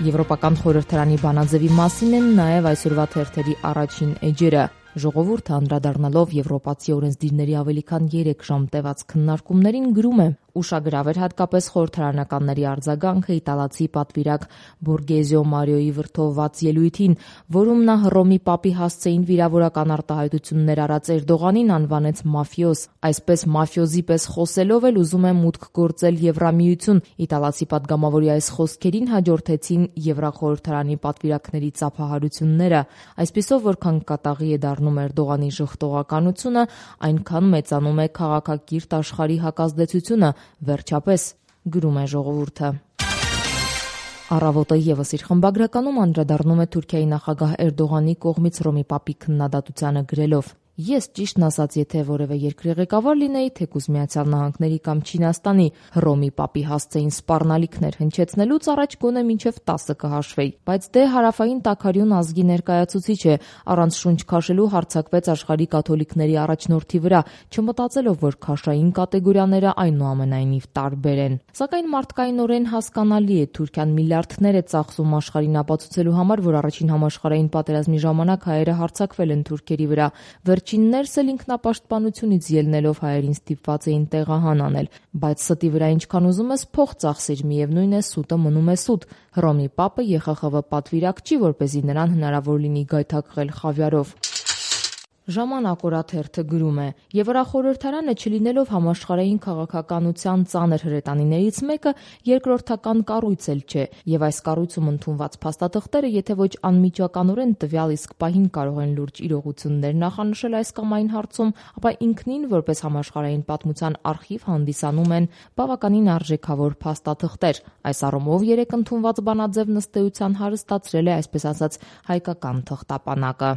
Եվրոպական խորհրդարանի բանաձևի մասին են նաև այսօրվա թերթերի առաջին էջերը։ Ժողովուրդը անդրադառնալով եվրոպացի օրենսդիրների ավելի քան 3 ժամ տևած քննարկումներին գրում է. ուշագրավ էր հատկապես խորհրդարանականների արձագանքը իտալացի պատվիրակ Բորգեզիո Մարիոյի վրդովված ելույթին, որում նա Հռոմի պապի հասցեին վիրավորական արտահայտություններ արած Էրդողանին անվանեց մաֆիոզ։ Այսպես մաֆիոզի պես խոսելով էլ ուզում է մուտք գործել Եվրամիություն։ Իտալացի պատգամավորի այս խոսքերին հաջորդեցին Եվրախորհրդարանի պատվիրակների ծափահարությունները։ Այսպիսով, որքան կատաղի է դառնում Էրդողանի ժխտողականությունը, այնքան մեծանում է քաղաքակիրթ աշխարհի հակազդեցությունը, վերջապես, գրում է Ժողովուրդը։ Առավոտը ևս իր խմբագրականում անդրադառնում է Թուրքիայի նախագահ Էրդողանի կողմից Հռոմի պապի քննադատությանը գրելով. «Ես ճիշտն ասած, եթե որևէ երկրի ղեկավար լինեի, թեկուզ Միացյալ Նահանգների կամ Չինաստանի, Հռոմի պապի հասցեին սպառնալիքներ հնչեցնելուց առաջ գոնե մինչև 10 կհաշվեի, բայց դե հարավային տաքարյուն ազգի ներկայացուցիչ է, առանց շունչ քաշելու հարձակվեց աշխարհի կաթոլիկների առաջնորդի վրա, չմտածելով, որ քաշային կատեգորիաները այնուամենայնիվ տարբեր են։ Սակայն մարդկայնորեն հասկանալի է, Թուրքիան միլիարդներ է ծախսում աշխարհին ապացուցելու համար, որ առաջին համաշխարհային պատերազմի ժամանակ հայերը հարձակվել են թուրքերի վրա։ Վերջիններս էլ ինքնապաշտպանությունից ելնելով հայերին ստիպված էին տեղահան անել, բայց ստի վրա ինչքան ուզում ես փող ծախսիր, միևնույն է սուտը մնում է սուտ։ Հռոմի պապը ԵԽԽՎ պատվիրակ չի, որպեսզի նրան հնարավոր լինի գայթակղել խավիարով»։ Ժամանակ օրաթերթը գրում է. «Եվրախորհրդարանը չլինելով համաշխարհային քաղաքականության ծանր հրետանիներից մեկը, երկրորդական կառույց էլ չէ, եւ այս կառույցում ընդունված փաստաթղթերը, եթե ոչ անմիջականորեն տվյալ իսկ պահին կարող են լուրջ իրողություններ նախանշել այս կամ այն հարցում, ապա ինքնին որպես համաշխարհային պատմության արխիվ հանդիսանում են բավականին արժեքավոր փաստաթղթեր։ Այս առումով երեկ ընդունված բանաձևն ըստ էության հարստացրել է այսպես ասած հայկական թղթապանակը»։